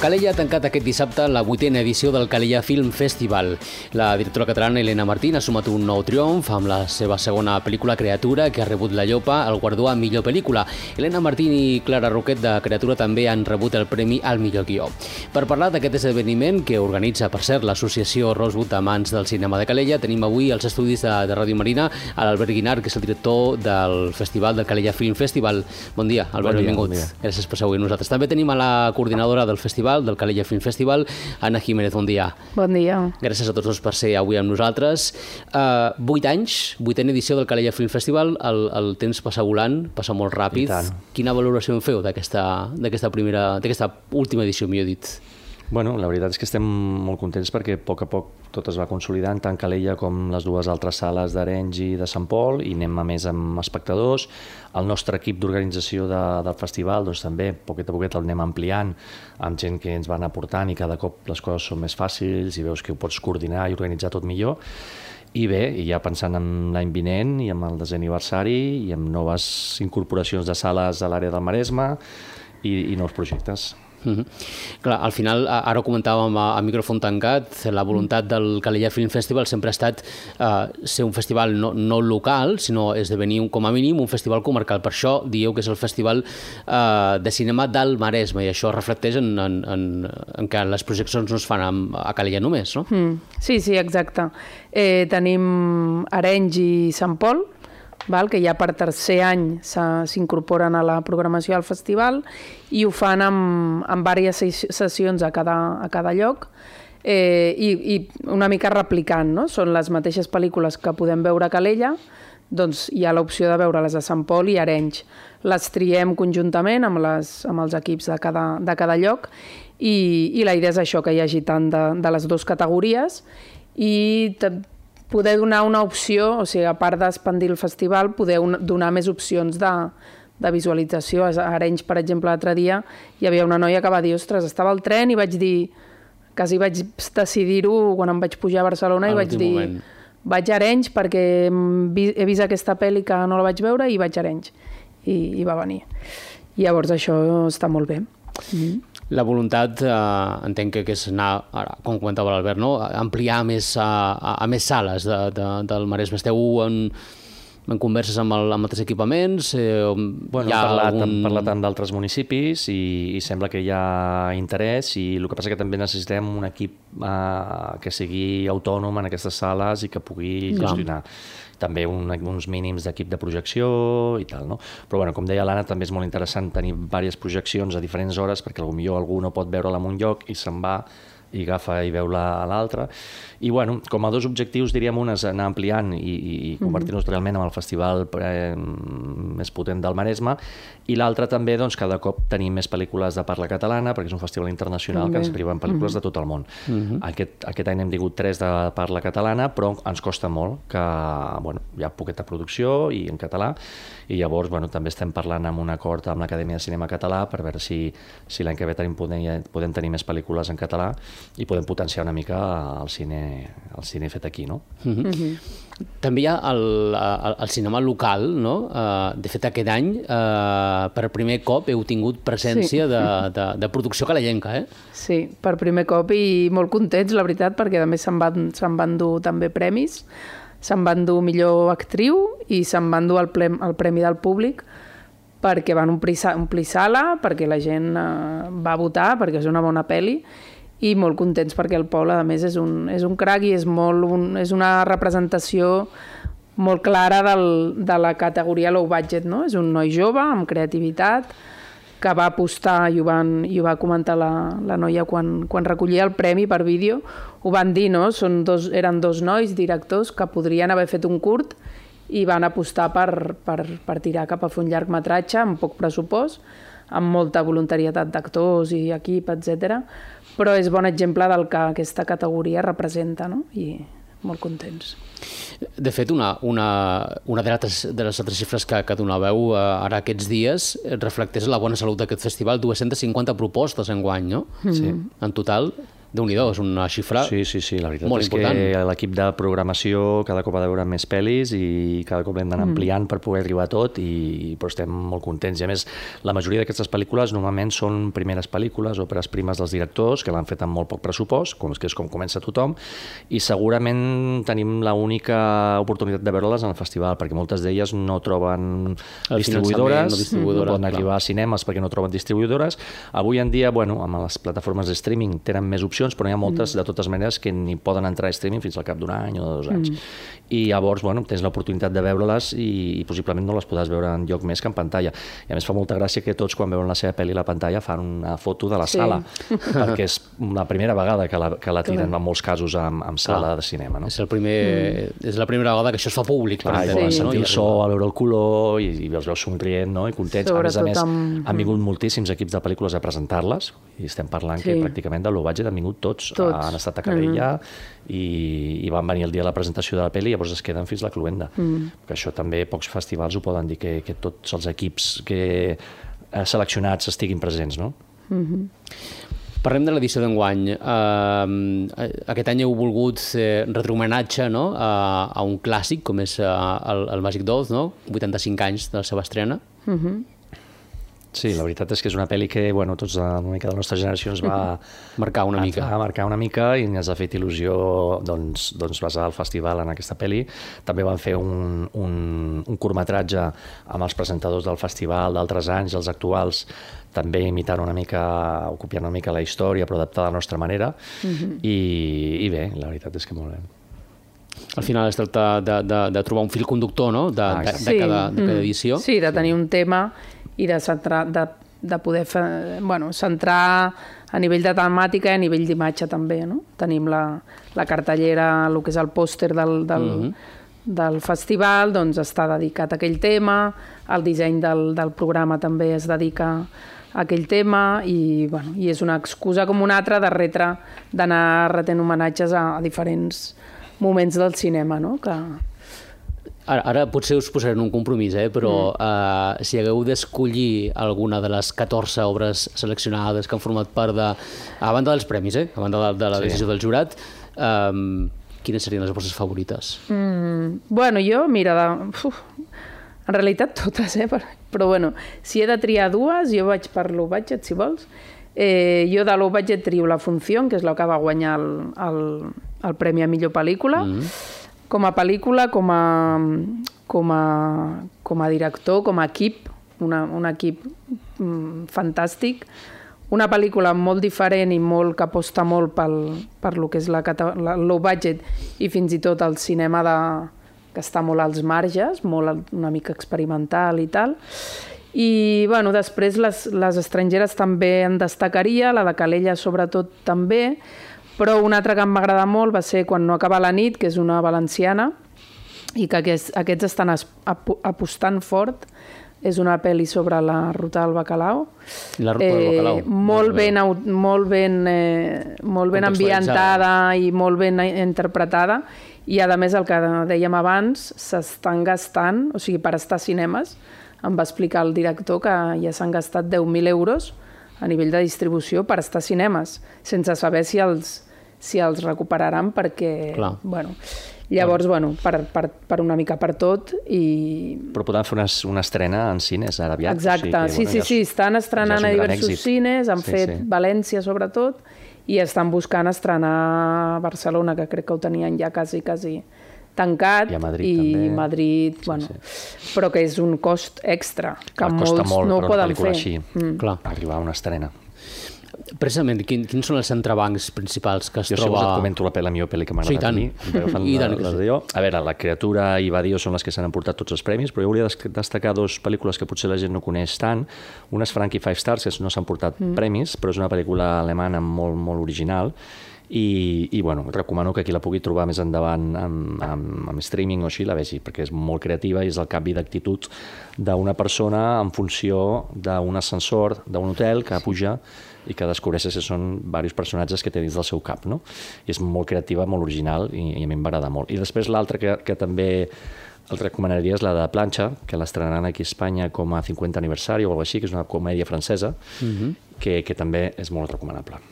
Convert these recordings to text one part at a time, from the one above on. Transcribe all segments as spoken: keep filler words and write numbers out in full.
Calella ha tancat aquest dissabte la vuitena edició del Calella Film Festival. La directora catalana Elena Martín ha sumat un nou triomf amb la seva segona pel·lícula Creatura, que ha rebut la Llopa al guardó a millor pel·lícula. Elena Martín i Clara Roquet de Creatura també han rebut el premi al millor guió. Per parlar d'aquest esdeveniment, que organitza, per cert, l'associació Rosewood Amants del Cinema de Calella, tenim avui als estudis de, de Ràdio Marina a l'Albert Guinart, que és el director del festival del Calella Film Festival. Bon dia, Albert, bon dia, benvingut. Bon dia. Gràcies per ser avui amb nosaltres. També tenim a la coordinadora del festival, del Calella Film Festival, Anna Jiménez. Bon dia. Bon dia. Gràcies a tots dos per ser avui amb nosaltres. Uh, vuit anys, vuitena edició del Calella Film Festival, el, el temps passa volant, passa molt ràpid. Quina valoració en feu d'aquesta primera, d'aquesta última edició, millor dit? Bueno, la veritat és que estem molt contents perquè a poc a poc tot es va consolidant, tant Calella com les dues altres sales d'Arenys i de Sant Pol, i anem a més amb espectadors. El nostre equip d'organització de, del festival, doncs també, poquet a poquet el anem ampliant amb gent que ens van aportant i cada cop les coses són més fàcils i veus que ho pots coordinar i organitzar tot millor. I bé, i ja pensant en l'any vinent i amb el desè aniversari i amb noves incorporacions de sales a l'àrea del Maresme i, i nous projectes. Uh-huh. Clar, al final, ara ho comentàvem a, a micròfon tancat, la voluntat del Calella Film Festival sempre ha estat uh, ser un festival no, no local, sinó esdevenir un, com a mínim un festival comarcal. Per això dieu que és el festival uh, de cinema del Maresme, i això reflecteix en, en, en, en que les projeccions no es fan a, a Calella només, no? Mm. Sí, sí, exacte. Eh, tenim Arenys i Sant Pol, val? Que ja per tercer any s'incorporen a la programació del festival i ho fan amb, amb diverses sessions a cada, a cada lloc eh, i, i una mica replicant, no? Són les mateixes pel·lícules que podem veure a Calella, doncs hi ha l'opció de veure-les a Sant Pol i Arenys. Les triem conjuntament amb, les, amb els equips de cada, de cada lloc i, i la idea és això, que hi hagi tant de, de les dues categories i poder donar una opció, o sigui, a part d'expandir el festival, poder un, donar més opcions de, de visualització. A Arenys, per exemple, l'altre dia hi havia una noia que va dir, ostres, estava al tren i vaig dir, quasi vaig decidir-ho quan em vaig pujar a Barcelona, i vaig dir, moment. vaig a Arenys perquè he vist aquesta pel·li que no la vaig veure i vaig a Arenys. I, i va venir. I llavors això està molt bé. Mm-hmm. La voluntat, eh, entenc que és anar, ara, com comentava l'Albert, no? ampliar més, a, a, a més sales de, de, del Maresme. Esteu en, en converses amb, el, amb altres equipaments? Eh, bueno, hem parlat, algun... hem parlat amb d'altres municipis i, i sembla que hi ha interès, i el que passa que també necessitem un equip eh, que sigui autònom en aquestes sales i que pugui gestionar. Clar. També un, uns mínims d'equip de projecció i tal, no? Però, bueno, com deia l'Anna, també és molt interessant tenir diverses projeccions a diferents hores, perquè potser algú no pot veure-la en un lloc i se'n va i agafa i veu-la a l'altre. I, bueno, com a dos objectius, diríem, un és anar ampliant i, i convertir-nos realment en el festival eh, més potent del Maresme, i l'altre també, doncs, cada cop tenim més pel·lícules de parla catalana, perquè és un festival internacional que ens arriben pel·lícules uh-huh. de tot el món. Uh-huh. Aquest, aquest any hem tingut tres de parla catalana, però ens costa molt, que bueno, hi ha poqueta producció i en català, i llavors bueno, també estem parlant amb un acord amb l'Acadèmia de Cinema Català per veure si, si l'any que ve tenim, podem, podem tenir més pel·lícules en català i podem potenciar una mica el cine, el cine fet aquí, no? Uh-huh. Uh-huh. També hi ha el, el, el cinema local, no? Uh, de fet, aquest any, uh, per primer cop heu tingut presència sí. de, de, de producció calellenca, eh? Sí, per primer cop, i molt contents, la veritat, perquè a més se'n van, se'n van dur també premis. Se'n van dur millor actriu i se'n van dur el, ple, el premi del públic, perquè van omplir, omplir sala, perquè la gent uh, va votar, perquè és una bona pel·li, i molt contents perquè el Pol, a més, és un, és un crac i és, molt un, és una representació molt clara del, de la categoria low budget, no? És un noi jove, amb creativitat, que va apostar, i ho, van, i ho va comentar la, la noia quan, quan recollia el premi per vídeo, ho van dir, no? Són dos, eren dos nois directors que podrien haver fet un curt i van apostar per, per, per tirar cap a fer un llargmetratge amb poc pressupost, amb molta voluntarietat d'actors i equip, etcètera. Però és bon exemple del que aquesta categoria representa, no? I molt contents. De fet, una, una, una de, les, de les altres xifres que, que donàveu eh, ara aquests dies reflecteix la bona salut d'aquest festival, dues-centes cinquanta propostes enguany, no? Sí. En total. Déu-n'hi-do, és una xifra sí, sí, sí, la veritat molt és important. que l'equip de programació cada cop ha de veure més pel·lis i cada cop hem d'anar Mm. ampliant per poder arribar a tot, i però estem molt contents. I a més, la majoria d'aquestes pel·lícules normalment són primeres pel·lícules, òperes primes dels directors, que l'han fet amb molt poc pressupost, com que és com comença tothom, i segurament tenim l'única oportunitat de veure-les en el festival, perquè moltes d'elles no troben El distribuïdores, finançament, no distribuïdores, no poden clar. arribar a cinemes perquè no troben distribuïdores. Avui en dia, bueno, amb les plataformes de streaming tenen més opcions, però n'hi ha moltes, mm. de totes maneres, que ni poden entrar a streaming fins al cap d'un any o de dos anys. Mm. I llavors, bueno, tens l'oportunitat de veure-les i, i possiblement no les podràs veure en lloc més que en pantalla. I a més fa molta gràcia que tots, quan veuen la seva pel·li a la pantalla, fan una foto de la Sí. sala, perquè és la primera vegada que la, que la tiren en molts casos amb, amb sala Clar. de cinema. No? És, el primer, mm. és la primera vegada que això es fa públic. Clar, per i entendre's, sí. no? sentir I el so, a veure el color, i, i els veus somrient, no? I contents. Sobretot a més a més, amb... han vingut moltíssims equips de pel·lícules a presentar-les, i estem parlant Sí. que pràcticament de low budget han vingut tots. Tots. Han estat a Calella mm. i, i van venir el dia de la presentació de la pel·li i llavors es queden fins la cluenda. Mm. Que això també pocs festivals ho poden dir, que, que tots els equips que seleccionats estiguin presents, no? Mm-hmm. Parlem de l'edició d'enguany. Uh, aquest any heu volgut eh, retre homenatge, no? a, a un clàssic com és uh, el, el Màgic Dolls, no? vuitanta-cinc anys de la seva estrena. Mm-hmm. Sí, la veritat és que és una pel·li que, bueno, tots una mica de la nostra generació ens va marcar una mica. Va marcar una mica i ens ha fet il·lusió doncs, doncs basar el festival en aquesta pel·li. També van fer un, un, un curtmetratge amb els presentadors del festival d'altres anys, els actuals, també imitant una mica, o copiant una mica la història, però adaptada a la nostra manera. Mm-hmm. I, I bé, la veritat és que molt bé. Al final es tracta de, de, de trobar un fil conductor, no? de, Ah, de, de, Sí. cada, de cada edició. Sí, de tenir un tema i de, centrar, de, de poder fer, bueno, centrar a nivell de temàtica i a nivell d'imatge també. No? Tenim la, la cartellera, el que és el pòster del, del, mm-hmm. del festival, doncs està dedicat a aquell tema, el disseny del, del programa també es dedica a aquell tema i, bueno, i és una excusa com una altra de retre, d'anar retent homenatges a, a diferents moments del cinema, no? Que... Ara, ara potser us posaré en un compromís, eh? però mm. uh, si hagueu d'escollir alguna de les catorze obres seleccionades que han format part de... A banda dels premis, eh? A banda de, de la decisió sí. del jurat, um, quines serien les vostres favorites? Mm, bueno, jo, mira, de... Uf, en realitat totes, eh? Però bueno, si he de triar dues, jo vaig per low budget, si vols. Eh, jo de low budget trio La Función, que és la que va guanyar el, el, el Premi a Millor Pel·lícula. Mm. Com a pel·lícula, com a, com a, com a director, com a equip, una, un equip mm, fantàstic. Una pel·lícula molt diferent i molt que aposta molt pel, per lo que és la, la low budget i fins i tot el cinema de, que està molt als marges, molt una mica experimental i tal. I bueno, després les, les estrangeres també en destacaria, la de Calella sobretot també, però una altra que em va agradar molt va ser Quan no acaba la nit, que és una valenciana, i que aquests, aquests estan ap apostant fort. És una pel·li sobre la ruta del bacalao. La ruta del bacalao. Eh, molt, ben, molt ben, eh, molt ben ambientada i molt ben interpretada. I, a més, el que dèiem abans, s'estan gastant, o sigui, per estar a cinemes, em va explicar el director que ja s'han gastat deu mil euros a nivell de distribució per estar a cinemes, sense saber si els, si els recuperaran, perquè... Clar. Bueno, llavors, bueno, per, per, per una mica per tot i... Però podran fer una, una estrena en cines ara aviat. Exacte, o sigui que, sí, bueno, sí, ja sí, estan estrenant ja a diversos èxit. cines, han sí, fet sí. València sobretot, i estan buscant estrenar a Barcelona, que crec que ho tenien ja quasi, quasi tancat, i a Madrid i també. Madrid, sí, bueno, sí. però que és un cost extra, que Clar, molts costa molt no ho per una poden pel·lícula fer. així, Mm. Clar. arribar a una estrena. Precisament, quin, quins són els entrebancs principals que es jo, troba... Jo si et comento la, pel·li, la millor pel·li que m'ha Sí, agradat tant. a mi. I tant la, que la sí. de jo. A veure, La Criatura i Badio són les que s'han emportat tots els premis, però jo volia destacar dues pel·lícules que potser la gent no coneix tant. Una és Frankie Five Stars, que no s'han portat mm. premis, però és una pel·lícula alemana molt, molt original. I, i bueno, recomano que qui la pugui trobar més endavant amb, amb, amb streaming o així la vegi, perquè és molt creativa i és el canvi d'actitud d'una persona en funció d'un ascensor d'un hotel que puja i que descobreixes que són diversos personatges que té dins del seu cap, no? I és molt creativa, molt original i, i a mi em va agradar molt. I després l'altra que, que també el recomanaria és la de Planxa, que l'estrenaran aquí a Espanya com a cinquanta aniversari o alguna cosa així, que és una comèdia francesa, mm-hmm. que, que també és molt recomanable.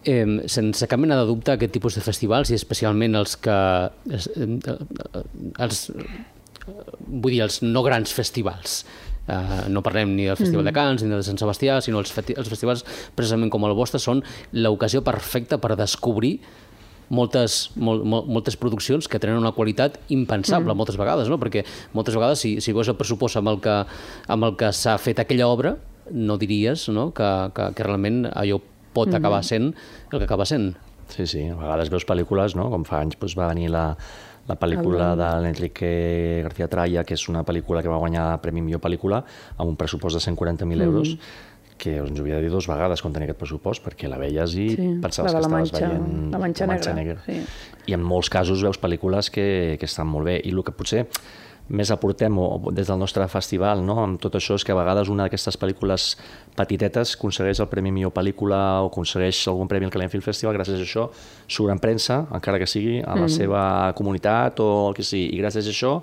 Eh, sense cap mena de dubte, aquest tipus de festivals, i especialment els que... Eh, els, vull dir, els no grans festivals. Uh, no parlem ni del Festival mm. de Canes ni del de Sant Sebastià, sinó els, fe els festivals precisament com el vostre són l'ocasió perfecta per descobrir moltes, mol, mol, moltes produccions que tenen una qualitat impensable mm. moltes vegades, no? Perquè moltes vegades si, si veus el pressupost amb el que, amb el que s'ha fet aquella obra, no diries, no? Que, que, que realment allò pot mm. acabar sent el que acaba sent. Sí, sí, a vegades veus pel·lícules, no? Com fa anys doncs, va venir la, la pel·lícula de l'Enrique García Tralla, que és una pel·lícula que va guanyar Premi Millor Pel·lícula amb un pressupost de cent quaranta mil euros, mm. que ens ho havia de dir dues vegades quan tenia aquest pressupost, perquè la veies i sí, pensaves que estaves Manxa, veient la Manxa, la Manxa Negra. Negra. Sí. I en molts casos veus pel·lícules que, que estan molt bé. I el que potser més aportem o, des del nostre festival, no? Amb tot això, és que a vegades una d'aquestes pel·lícules petitetes aconsegueix el Premi Millor Pel·lícula o aconsegueix algun premi al Calent Film Festival, gràcies a això surt en premsa, encara que sigui a la mm. seva comunitat o el que sigui, i gràcies a això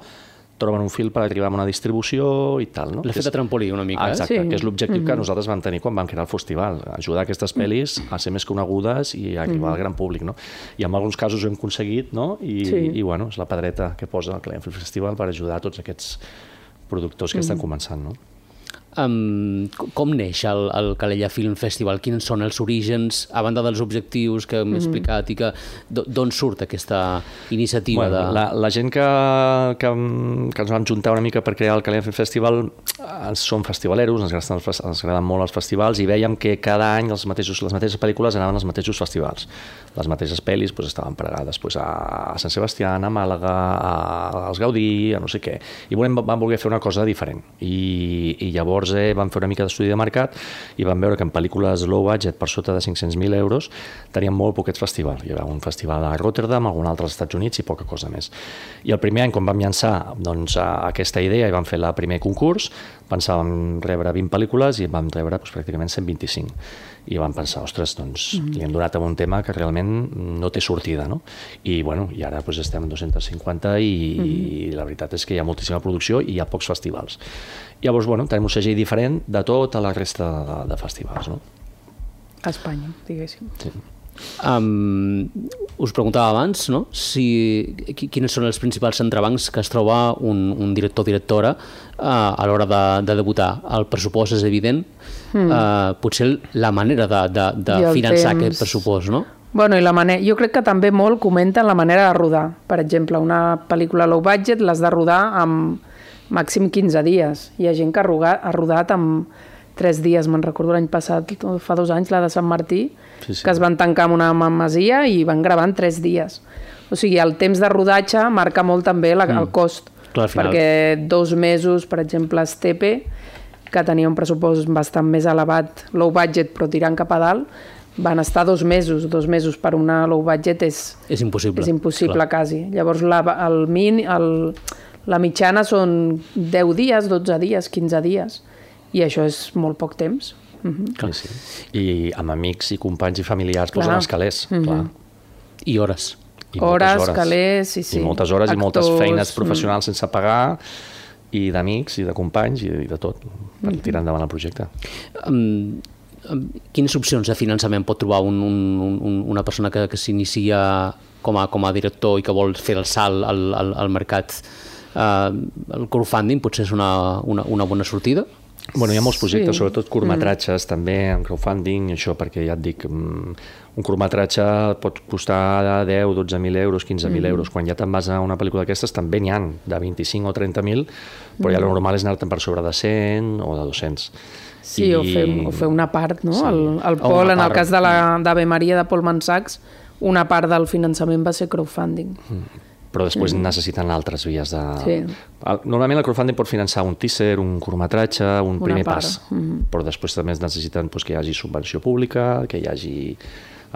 troben un fil per arribar a una distribució i tal, no? L'efecte trampolí una mica, eh? Exacte, sí. que és l'objectiu mm-hmm. que nosaltres vam tenir quan vam crear el festival, ajudar aquestes pel·lis a ser més conegudes i a arribar mm-hmm. al gran públic, no? I en alguns casos ho hem aconseguit, no? I, sí. i bueno, és la pedreta que posa el Calent Film Festival per ajudar a tots aquests productors que mm-hmm. estan començant, no? Um, com neix el, el Calella Film Festival? Quins són els orígens, a banda dels objectius que hem mm-hmm. explicat, i que d'on surt aquesta iniciativa? Bueno, de... la, la gent que, que, que ens vam juntar una mica per crear el Calella Film Festival som festivaleros, ens agraden, ens agraden molt els festivals i vèiem que cada any els mateixos, les mateixes pel·lícules anaven als mateixos festivals. Les mateixes pel·lis pues, estaven pregades pues, a Sant Sebastià, a Màlaga, a, als Gaudí, a no sé què. I volem, vam voler fer una cosa diferent. I, i llavors eh, vam fer una mica d'estudi de mercat i vam veure que en pel·lícules low budget per sota de cinc-cents mil euros teníem molt poquets festivals. Hi havia un festival a Rotterdam, algun altre als Estats Units i poca cosa més. I el primer any, quan vam llançar doncs, aquesta idea i vam fer el primer concurs, pensàvem rebre vint pel·lícules i vam rebre doncs, pràcticament cent vint-i-cinc. I vam pensar, ostres, doncs mm. li hem donat a un tema que realment no té sortida, no? I, bueno, i ara doncs, estem en dos-cents cinquanta i, mm. i la veritat és que hi ha moltíssima producció i hi ha pocs festivals. Llavors, bueno, tenim un segell diferent de tota la resta de, de festivals, no? A Espanya, diguéssim. Sí. Um, us preguntava abans, no? Si, quines són els principals entrebancs que es troba un, un director o directora uh, a l'hora de, de debutar. El pressupost és evident, mm. uh, potser la manera de, de, de finançar temps... aquest pressupost, no? Bueno, i la manera, jo crec que també molt comenten la manera de rodar. Per exemple, una pel·lícula low budget l'has de rodar amb màxim quinze dies. Hi ha gent que ha rodat, ha rodat amb tres dies, me'n recordo l'any passat, fa dos anys, la de Sant Martí, sí, sí. que es van tancar en una masia i van gravar en tres dies. O sigui, el temps de rodatge marca molt també la, mm. el cost. Clar, perquè dos mesos, per exemple, Estepe, que tenia un pressupost bastant més elevat, low budget, però tirant cap a dalt, van estar dos mesos. Dos mesos per una low budget és, és impossible, és impossible quasi. Llavors, la, el min, el, la mitjana són deu dies, dotze dies, quinze dies. I això és molt poc temps. Uh-huh. Clar, sí. I amb amics i companys i familiars clar. Posen els calés. Uh-huh. Clar. I hores. I hores, hores, calés, sí, sí. I moltes hores Actors, i moltes feines professionals mm. sense pagar, i d'amics, i de companys, i de tot, per mm. tirar endavant el projecte. Um, um, quines opcions de finançament pot trobar un, un, un, una persona que, que s'inicia com a, com a director i que vol fer el salt al, al, al mercat? Uh, el crowdfunding potser és una, una, una bona sortida? Bueno, hi ha molts projectes, sí. sobretot curtmetratges, mm. també en crowdfunding, això perquè ja et dic, un curtmetratge pot costar deu, dotze mil euros, quinze mil mm. euros. Quan ja te'n vas a una pel·lícula d'aquestes també n'hi ha de vint-i-cinc o trenta mil, però ja el normal és anar-te'n per sobre de cent o de dos-cents. Sí, I... o, fer, o fer una part, no? Sí. El, el Pol, en el cas de l'Ave Maria de Pol Mansachs, una part del finançament va ser crowdfunding. Mm. Però després mm. necessiten altres vies de... Sí. Normalment el crowdfunding pot finançar un teaser, un curtmetratge, un Una primer part. pas, mm. però després també necessiten doncs, que hi hagi subvenció pública, que hi hagi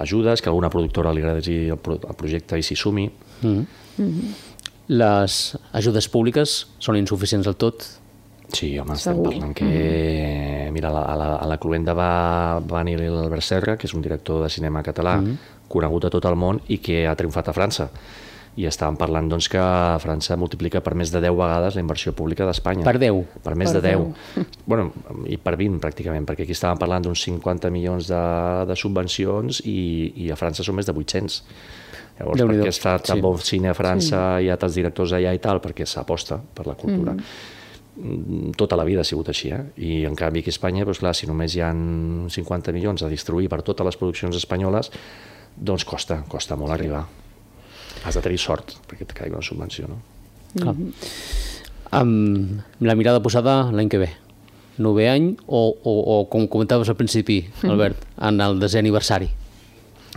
ajudes, que alguna productora li agradi el, pro el projecte i s'hi sumi. Mm. Mm. Les ajudes públiques són insuficients del tot? Sí, home, estem Segur. parlant que... Mm. Mira, a la, a la Cluenda va, va venir l'Albert Serra, que és un director de cinema català, mm. conegut a tot el món i que ha triomfat a França. i estàvem parlant doncs, que França multiplica per més de deu vegades la inversió pública d'Espanya. Per deu? Per més per de deu. Bueno, i per vint, pràcticament, perquè aquí estàvem parlant d'uns cinquanta milions de, de subvencions i, i a França són més de vuit-cents. Llavors, per què està tan sí. bon cine a França, sí. hi ha tants directors allà i tal? Perquè s'aposta per la cultura. Mm. Tota la vida ha sigut així, eh? I en canvi aquí a Espanya, doncs, clar, si només hi ha cinquanta milions a distribuir per totes les produccions espanyoles, doncs costa, costa molt arribar. Has de tenir sort perquè et caigui una subvenció, no? Clar. Amb la mirada posada l'any que ve, novè any o, o, o com comentaves al principi, Albert, en el desè aniversari?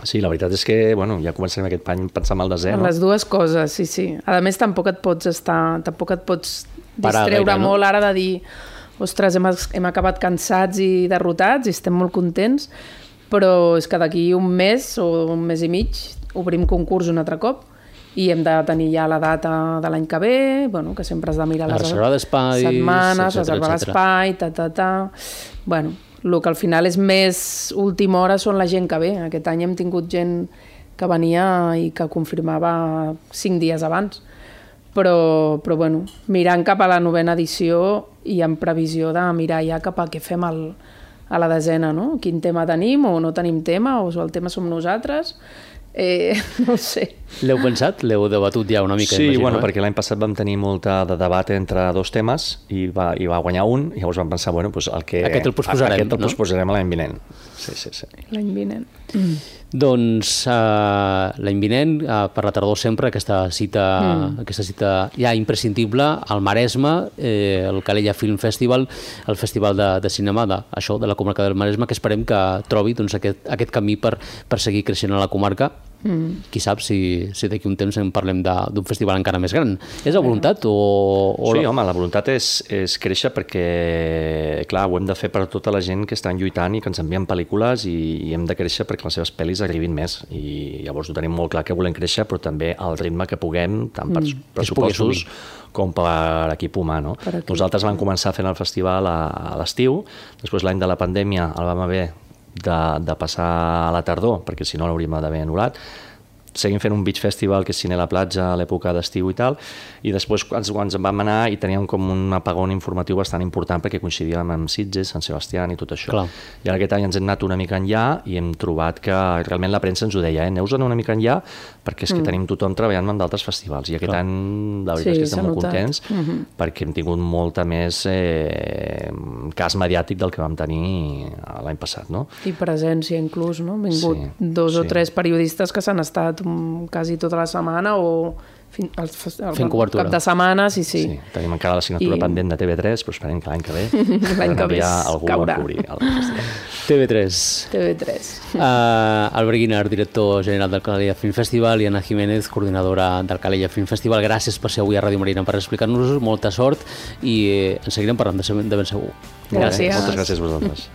Sí, la veritat és que bueno, ja començarem aquest any pensant en el desè, no? Les dues coses, sí, sí. A més, tampoc et pots estar, tampoc et pots Parar distreure gaire, no? molt ara de dir ostres, hem, hem acabat cansats i derrotats i estem molt contents, però és que d'aquí un mes o un mes i mig obrim concurs un altre cop i hem de tenir ja la data de l'any que ve, bueno, que sempre has de mirar les reservar espais, setmanes, reservar l'espai, ta, ta, ta... Bueno, el que al final és més última hora són la gent que ve. Aquest any hem tingut gent que venia i que confirmava cinc dies abans. Però, però bueno, mirant cap a la novena edició i en previsió de mirar ja cap a què fem el, a la desena, no? Quin tema tenim o no tenim tema, o el tema som nosaltres... Eh, no ho sé. L'heu pensat? L'heu debatut ja una mica? Sí, imagino, bueno, eh? perquè l'any passat vam tenir molta de debat entre dos temes i va, i va guanyar un, i llavors vam pensar, bueno, pues el que... Aquest el posposarem, aquest el no? posposarem l'any vinent. Sí, sí, sí. L'any vinent. Mm. Doncs uh, l'any vinent, uh, per la tardor sempre, aquesta cita, mm. aquesta cita ja imprescindible al Maresme, eh, el Calella Film Festival, el festival de, de cinema de, això, de la comarca del Maresme, que esperem que trobi doncs, aquest, aquest camí per, per seguir creixent a la comarca. Mm. Qui sap si, si d'aquí un temps en parlem d'un festival encara més gran. És la voluntat? O, o... Sí, home, la voluntat és, és créixer perquè, clar, ho hem de fer per tota la gent que estan lluitant i que ens envien pel·lícules i, i hem de créixer perquè les seves pel·lis arribin més. I llavors ho tenim molt clar que volem créixer, però també al ritme que puguem, tant per mm. pressupostos com per equip humà, no? Per equip. Nosaltres vam començar fent el festival a, a l'estiu, després l'any de la pandèmia el vam haver De, de passar a la tardor, perquè si no l'hauríem d'haver anul·lat. Seguim fent un beach festival que és cine a la platja a l'època d'estiu i tal, i després ens, ens en vam anar i teníem com un apagón informatiu bastant important perquè coincidíem amb Sitges, Sant Sebastià i tot això. Clar. I ara aquest any ens hem anat una mica enllà i hem trobat que realment la premsa ens ho deia, eh? Aneu-vos una mica enllà perquè és que mm. tenim tothom treballant en d'altres festivals i aquest Clar. any la veritat sí, és que estem molt notat. contents mm-hmm. perquè hem tingut molta més eh, cas mediàtic del que vam tenir l'any passat, no? I presència inclús, no? Han vingut sí, dos sí. o tres periodistes que s'han estat quasi tota la setmana o fin, el, el, fent cobertura. Cap de setmana, sí, sí. sí tenim encara la signatura I... pendent de T V tres, però esperem que l'any que ve l'any que ve algú caurà. A cobrir el festival. T V tres. T V tres. Uh, Albert Guinart, director general del Calella Film Festival, i Anna Jiménez, coordinadora del Calella Film Festival. Gràcies per ser avui a Ràdio Marina per explicar-nos-ho, molta sort i eh, en seguirem parlant de, de ben segur. Gràcies. Moltes gràcies a vosaltres.